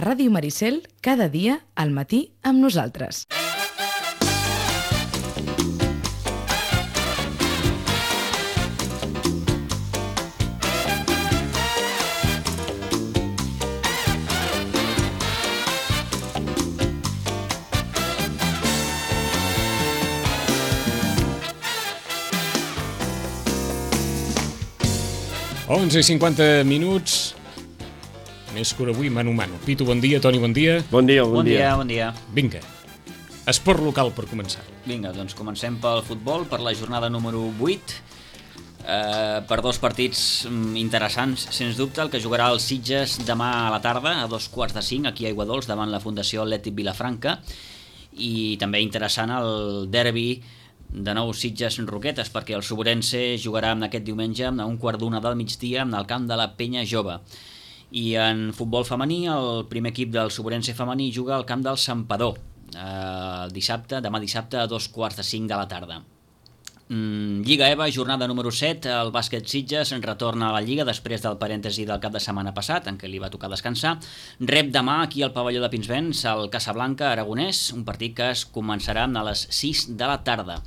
a Ràdio Maricel cada dia al matí amb nosaltres. Onze i 50 minuts, més que avui, mano a mano. Pitu, bon dia. Toni, bon dia. Bon dia. Bon dia. Vinga, esport local per començar. Vinga, doncs comencem pel futbol, per la jornada número 8, per dos partits interessants, sens dubte. El que jugarà el Sitges demà a la tarda, a 2:45, aquí a Aiguadols, davant la Fundació Atlètic Vilafranca, i també interessant el derbi de nou Sitges-Roquetes, perquè el Soborense jugarà aquest diumenge a 1:15 del migdia en el camp de la Penya Jove. I en futbol femení, el primer equip del Soborense femení juga al camp del Santpedor demà dissabte a 2:45 de la tarda. Lliga EVA, jornada número 7, el bàsquet Sitges retorna a la Lliga després del parèntesi del cap de setmana passat, en què li va tocar descansar. Rep demà aquí al pavelló de Pinsbens el Casablanca Aragonès, un partit que es començarà a les 6 de la tarda.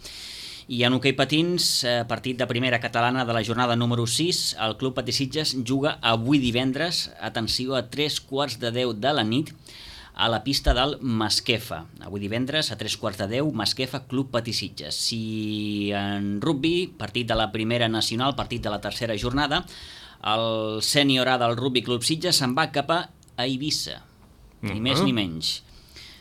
I en hoquei patins, partit de primera catalana de la jornada número 6, el Club Patí Sitges juga avui divendres, atenció, a 9:45 de la nit, a la pista del Masquefa. Avui divendres, a 9:45, Masquefa, Club Patí Sitges. Si en rugbi, partit de la primera nacional, partit de la tercera jornada, el sènior A del Rugbi Club Sitges se'n va cap a Eivissa, ni més ni menys.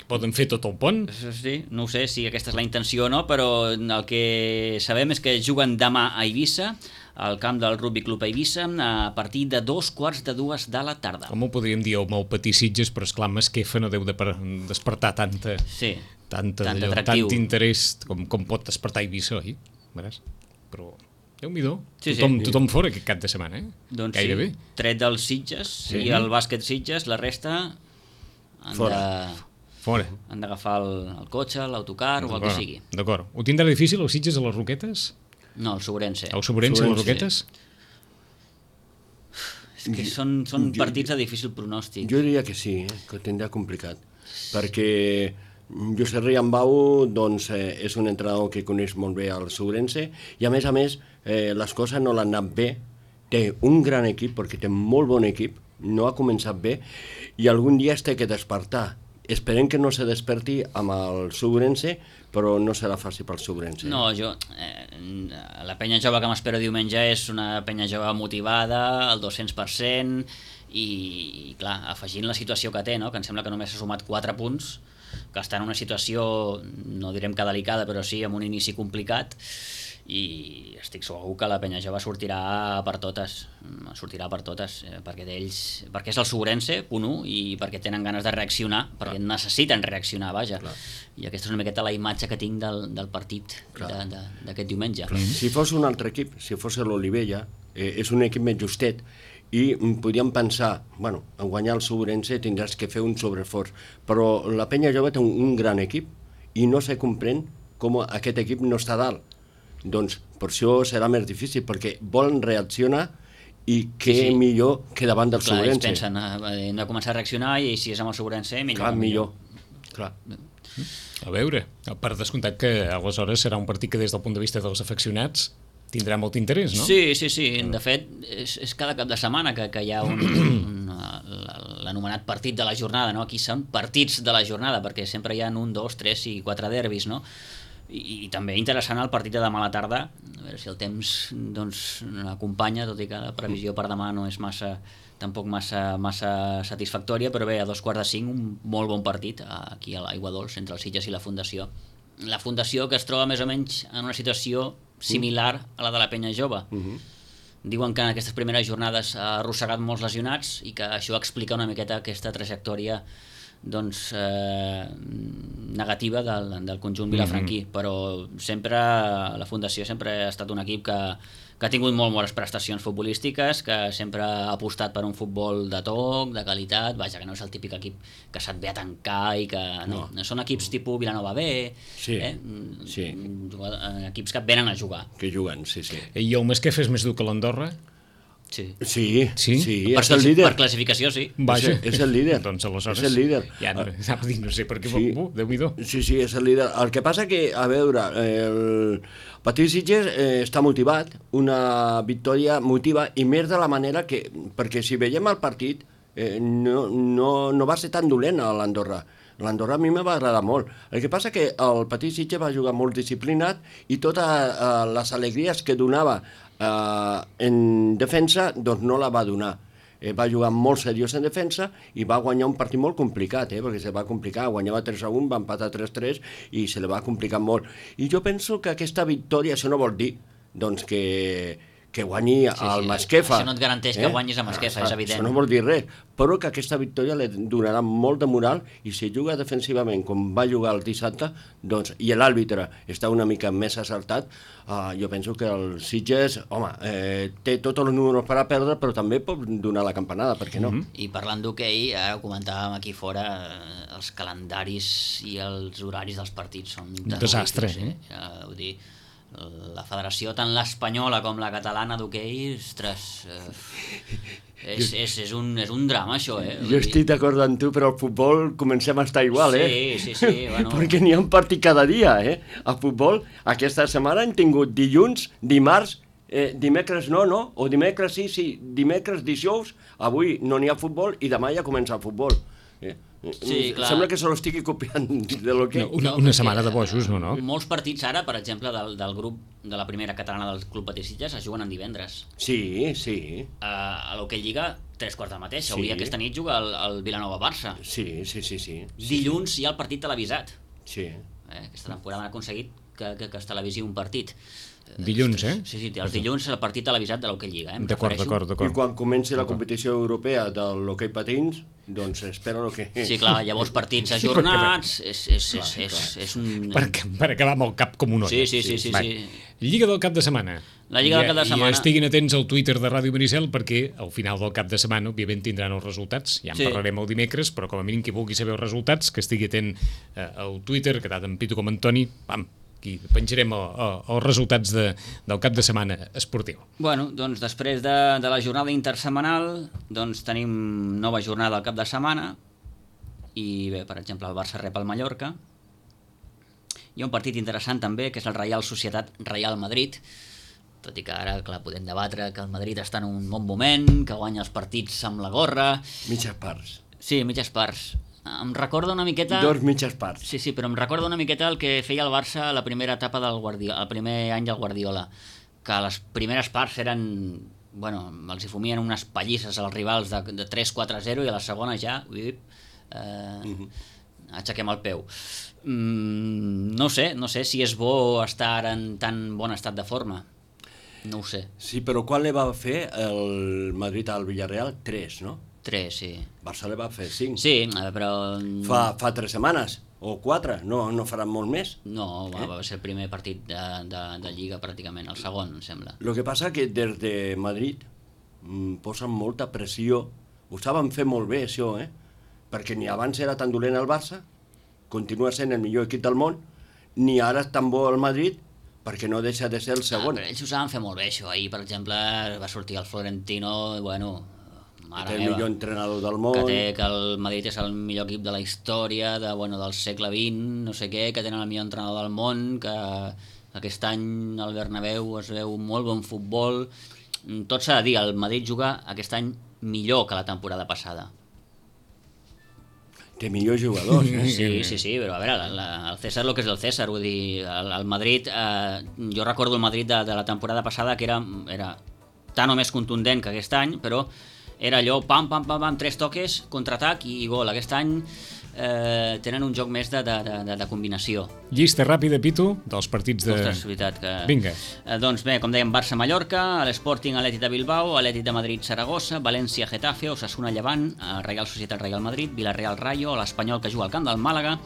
Poden fer tot el pont? Sí, no ho sé si aquesta és la intenció o no, però el que sabem és que juguen demà a Eivissa, al camp del Rugby Club Eivissa, a partir de 2:45 de la tarda. Com ho podríem dir, el Patí Sitges, però esclar, Masquefa no deu de despertar tant interès com pot despertar Eivissa, oi? Veràs? Però Déu-n'hi-do, tothom fora aquest cap de setmana, eh? Doncs gairebé. Sí, tret dels Sitges i el bàsquet Sitges, la resta Fora. Han d'agafar el cotxe, l'autocar o el que sigui. D'acord. Ho tindrà difícil els Sitges a les Roquetes? No, el Soborense. El Soborense a les Roquetes? És que són partits de difícil pronòstic. Jo diria que sí, que ho tindrà complicat. Perquè Josep Riambau és un entrenador que coneix molt bé el Soborense i a més, les coses no l'han anat bé. Té un gran equip, perquè té molt bon equip, no ha començat bé i algun dia es té que despertar. Esperem que no se desperti amb el Soborense, però no serà fàcil pel Soborense. No, la penya jove que m'espero diumenge és una penya jove motivada, al 200%, i clar, afegint la situació que té, no? Que em sembla que només ha sumat 4 punts, que està en una situació, no direm que delicada, però sí amb un inici complicat, i estic segur que la penya jove sortirà per totes, perquè és el Soborense, punt 1, i perquè tenen ganes de reaccionar, perquè necessiten reaccionar, vaja. Clar. I aquesta és una miqueta la imatge que tinc del partit d'aquest diumenge. Si fos un altre equip, si fos l'Olivella, és un equip més justet, i podríem pensar, en guanyar el Soborense tindràs que fer un sobreesforç, però la penya jove té un gran equip i no se comprèn com aquest equip no està dalt. Doncs per això serà més difícil, perquè volen reaccionar i què millor que davant del Soborense. Clar, ells pensen, hem de començar a reaccionar i si és amb el Soborense, millor. Clar. A veure, per descomptat que aleshores serà un partit que des del punt de vista dels afeccionats tindrà molt interès, no? Sí. De fet, és cada cap de setmana que hi ha l'anomenat partit de la jornada, no? Aquí són partits de la jornada, perquè sempre hi ha 1, 2, 3 i 4 derbis, no? I també interessant el partit de demà a la tarda, a veure si el temps l'acompanya, tot i que la previsió per demà no és tampoc massa satisfactòria, però bé, a 4:45 un molt bon partit aquí a l'Aiguadols entre els Sitges i la Fundació. La Fundació que es troba més o menys en una situació similar a la de la penya jove. Diuen que en aquestes primeres jornades ha arrossegat molts lesionats i que això explica una miqueta aquesta trajectòria negativa del conjunt vilafranquí, però sempre la Fundació sempre ha estat un equip que ha tingut molt bones prestacions futbolístiques, que sempre ha apostat per un futbol de toc, de qualitat, vaja, que no és el típic equip que se't ve a tancar i que... No, són equips tipus Vilanova B, equips que venen a jugar. Que juguen, sí. I el Masquefa és més dur que l'Andorra? Sí. Sí, Sí? és el líder. Per classificació, sí. Vaja. És el líder. Doncs aleshores... És el líder. Ja anava a dir, no sé per què... Sí. Déu-n'hi-do. Sí, és el líder. El que passa que, a veure, el Patí Sitges està motivat, una victòria motiva, i més de la manera que... Perquè si veiem el partit, no va ser tan dolent a l'Andorra. L'Andorra a mi me va agradar molt. El que passa que el Patí Sitges va jugar molt disciplinat i totes les alegries que donava en defensa, doncs no la va donar. Va jugar molt seriós en defensa i va guanyar un partit molt complicat, perquè se va complicar, guanyava 3-1, va empatar 3-3 i se li va complicar molt. I jo penso que aquesta victòria, això no vol dir doncs, que guanyi el Masquefa. Això no et garanteix que guanyis a Masquefa, és evident. Això no vol dir res, però que aquesta victòria li donarà molt de moral i si juga defensivament com va jugar el dissabte, doncs, i l'àrbitre està una mica més acertat, jo penso que el Sitges, home, té tots els números per a perdre, però també pot donar la campanada, per què no? I parlant d'hoquei, ara ho comentàvem aquí fora, els calendaris i els horaris dels partits són Un desastre, Vull dir, la federació, tant l'espanyola com la catalana d'hoquei, ostres, és un drama això, Jo estic d'acord amb tu, però al futbol comencem a estar igual, Sí, bueno... Perquè n'hi ha un partit cada dia, A futbol, aquesta setmana hem tingut dilluns, dimarts, dimecres no, o dimecres sí, dimecres, dijous, avui no n'hi ha futbol i demà ja comença el futbol. Sí, clar. Sembla que se lo estigui copiant de lo que... Una setmana de bojos, no? Molts partits ara, per exemple, del grup de la primera catalana del Club Patí Sitges es juguen en divendres. Sí. A l'Hoquei Lliga, 3 quarts del mateix. Sí. Avui aquesta nit juga el Vilanova-Barça. Sí. Dilluns hi ha el partit televisat. Sí. Aquesta temporada han aconseguit que es televisi un partit. Dilluns, Sí, els dilluns el partit televisat de l'Hoquei Lliga. D'acord. I quan comenci la competició europea de l'hoquei patins, doncs espero que... Sí, clar, llavors partits ajornats, és un... Per acabar amb el cap com un olla. Sí. Lliga del cap de setmana. La Lliga del cap de setmana. I estiguin atents al Twitter de Ràdio Maricel perquè al final del cap de setmana, òbviament, tindran els resultats. Ja en parlarem el dimecres, però com a mínim qui vulgui saber els resultats, que estigui atent al Twitter, que tant en Pitu com en Toni, aquí penjarem els resultats del cap de setmana esportiu. Bueno, doncs després de la jornada intersetmanal, doncs tenim nova jornada al cap de setmana i bé, per exemple, el Barça rep el Mallorca. Hi ha un partit interessant també, que és el Reial Societat Reial Madrid, tot i que ara, clar, podem debatre que el Madrid està en un bon moment, que guanya els partits amb la gorra... Mitges parts. Sí, mitges parts. Em recorda una miqueta... 2 mitges parts. Sí, però em recorda una miqueta el que feia el Barça a la primera etapa del Guardiola, el primer any del Guardiola, que les primeres parts eren... Bueno, els hi fumien unes pallisses als rivals de 3-4-0 i a la segona ja... Aixequem el peu. No sé si és bo estar en tan bon estat de forma. No ho sé. Sí, però quan li va fer el Madrid al Villarreal? 3, no? 3, sí. Barça li va fer 5. Sí, però... Fa 3 setmanes, o 4, no faran molt més. No, va ser el primer partit de Lliga pràcticament, el segon, em sembla. El que passa que des de Madrid posen molta pressió, ho saben fer molt bé això, perquè ni abans era tan dolent el Barça, continua sent el millor equip del món, ni ara és tan bo el Madrid, perquè no deixa de ser el segon. Però ells ho saben fer molt bé, això. Ahir, per exemple, va sortir el Florentino, bueno... Que el millor entrenador del món... Que el Madrid és el millor equip de la història, del segle XX, no sé què, que tenen el millor entrenador del món, que aquest any al Bernabéu es veu molt bon futbol. Tot s'ha de dir, el Madrid juga aquest any millor que la temporada passada. Té millors jugadors, Sí, però a veure, el César el que és el César, vull dir, el Madrid, jo recordo el Madrid de la temporada passada que era tan o més contundent que aquest any, però era allò, pam, 3 toques, contraatac i gol. Aquest any tenen un joc més de combinació. Llista ràpida, Pitu, dels partits de... Ostres, és veritat que... Vinga. Doncs bé, com dèiem, Barça-Mallorca, l'Sporting Atlètic de Bilbao, Atlètic de Madrid-Saragossa, València-Getafe, Osasuna-Llevant, Reial Societat-Real Madrid, Villarreal-Rayo, l'Espanyol que juga al camp del Màlaga,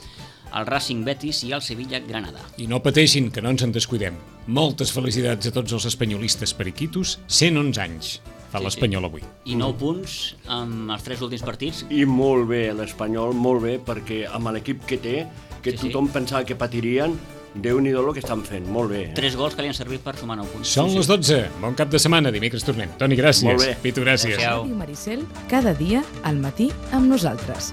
el Racing-Betis i el Sevilla-Granada. I no pateixin, que no ens en descuidem. Moltes felicitats a tots els espanyolistes periquitos, 111 anys. Fa l'Espanyol avui. I 9 punts amb els 3 últims partits. I molt bé l'Espanyol, molt bé, perquè amb l'equip que té, que tothom pensava que patirien, Déu-n'hi-do el que estan fent, molt bé. 3 gols que li han servit per sumar 9 punts. Són les 12, bon cap de setmana, dimecres tornem. Toni, gràcies. Molt bé. Pitu, gràcies. Adéu-siau. Ràdio Maricel, cada dia al matí amb nosaltres.